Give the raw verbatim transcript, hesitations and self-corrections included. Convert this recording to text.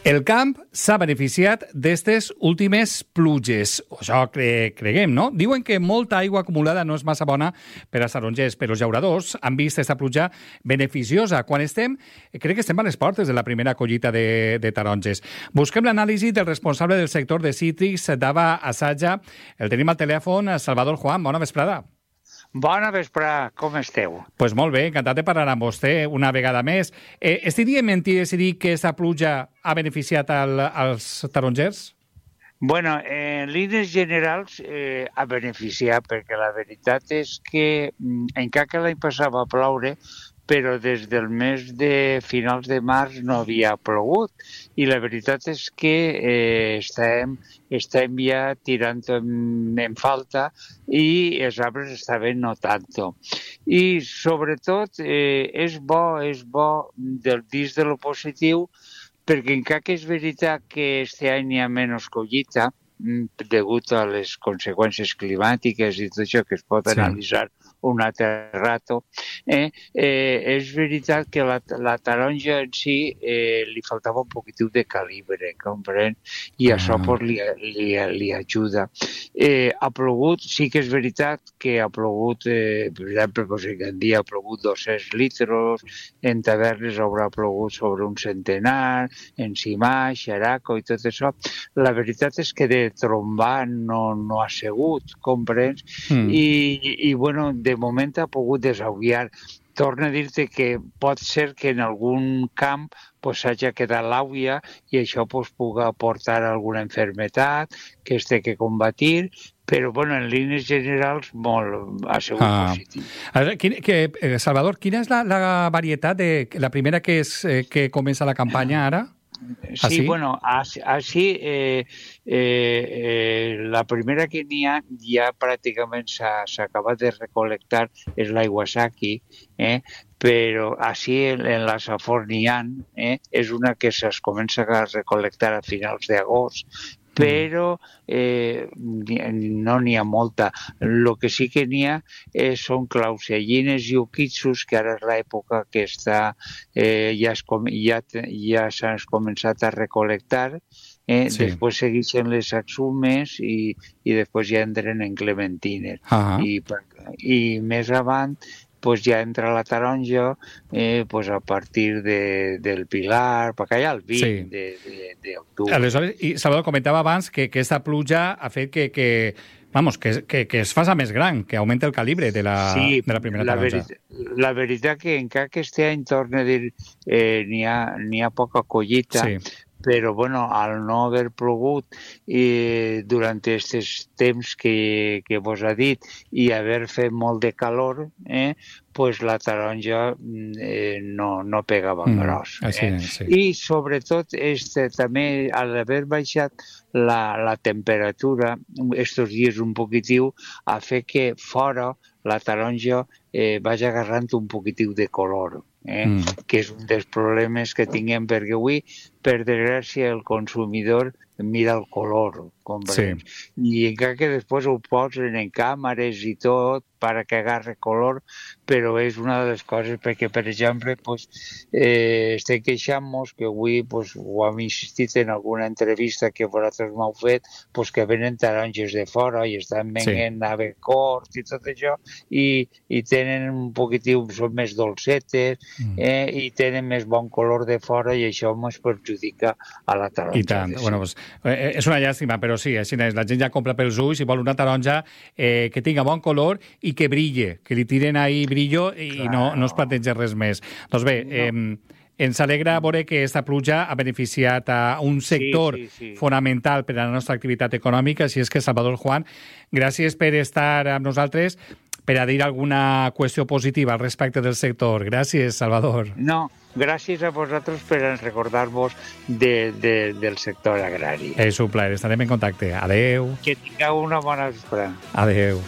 El camp s'ha beneficiat d'estes últimes pluges. Això cre creguem, no? Diuen que molta aigua acumulada no és massa bona per als tarongers, però els llauradors han vist aquesta pluja beneficiosa. Quan estem, crec que estem a les portes de la primera collita de, de taronges. Busquem l'anàlisi del responsable del sector de cítrics d'Ava Assaja. El tenim al telèfon, Salvador Juan. Bona vesprada. Bona vesprada, com esteu? Doncs pues molt bé, encantat de parlar amb vostè una vegada més. Eh, estaria mentir si dic que aquesta pluja ha beneficiat al, als tarongers? Bueno, en línies generals eh, ha beneficiat, perquè la veritat és que encara que l'any passat va ploure, però des del mes de finals de març no havia plogut i la veritat és que eh, estem, estem ja tirant en, en falta i els arbres estaven no tanto. I sobretot eh, és bo, és bo del dins de lo positiu, perquè encara que és veritat que este any hi ha menys collita, degut a les conseqüències climàtiques i tot això que es pot sí. analitzar un altre rato, eh, eh, és veritat que la, la taronja en si eh, li faltava un poquitiu de calibre, comprèn? I ah. això pues, li, li, li ajuda. Eh, ha plogut, sí que és veritat que ha plogut, eh, per exemple, pues, en Gandia ha plogut dos-cents litres, en Tavernes haurà plogut sobre un centenar, en Simà, Xeraco i tot això. La veritat és que de trombar no, no ha sigut, comprens? Mm. I, i, bueno, de moment ha pogut desaviar. Torno a dir-te que pot ser que en algun camp pues, hagi quedat l'àvia i això pues, pugui aportar alguna enfermetat que es té que combatir, però bueno, en línies generals molt, ha sigut ah. positiu. Quin, que, Salvador, quina és la, la varietat de la primera que, és, eh, que comença la campanya ara? Sí, ¿Así? bueno, així eh, eh, eh, la primera que n'hi ha ja pràcticament s'ha acabat de recol·lectar és l'Iwasaki, eh? però així en, en la Safor n'hi ha, eh? és una que es comença a recol·lectar a finals d'agost, però eh, no n'hi ha molta. El que sí que n'hi ha eh, són clausellines i ukitsus, que ara és l'època que està, eh, ja, ja, ja s'han començat a recol·lectar, eh? sí. després segueixen les axumes i, i després ja entren en clementines. Uh -huh. I, I més avant pues ja entra la taronja eh, pues a partir de, del Pilar, perquè hi ha el vint sí. d'octubre. Aleshores, i Salvador comentava abans que, que aquesta pluja ha fet que, que, vamos, que, que, que es faça més gran, que augmenta el calibre de la, sí, de la primera la taronja. Veritat, la veritat que encara que este any, torna a dir, eh, n'hi ha, n'hi ha poca collita, sí. però bueno, al no haver plogut eh, durant aquests temps que, que vos ha dit i haver fet molt de calor, eh, pues la taronja eh, no, no pegava mm, gros. Eh? Sí. I sobretot este, també al haver baixat la, la temperatura estos dies un poquitiu ha fet que fora la taronja eh, vagi agarrant un poquitiu de color. Eh? Mm. que és un dels problemes que tinguem, perquè avui, per desgràcia, el consumidor mira el color, sí. i encara que després ho posen en càmeres i tot per que agarre color, però és una de les coses perquè, per exemple, pues, eh, estem queixant-nos que avui pues, ho hem insistit en alguna entrevista que vosaltres m'heu fet, pues, que venen taronges de fora i estan venent sí. avecort i tot això, i, i tenen un poquitiu, són més dolcetes, mm. eh, i tenen més bon color de fora i això ens perjudica a la taronja. I tant. Bueno, pues, eh, és una llàstima, però sí, així és. La gent ja compra pels ulls i vol una taronja eh, que tinga bon color i que brille, que li tiren ahí brillo i claro. no, no es planteja res més. Doncs bé, no. eh, ens alegra veure que aquesta pluja ha beneficiat a un sector sí, sí, sí. fonamental per a la nostra activitat econòmica, així és que, Salvador Juan, gràcies per estar amb nosaltres, per a dir alguna qüestió positiva al respecte del sector. Gràcies, Salvador. No, gràcies a vosaltres per recordar-vos de, de, del sector agrari. És un plaer, estarem en contacte. Adeu. Que tingueu una bona vesprada. Adeu.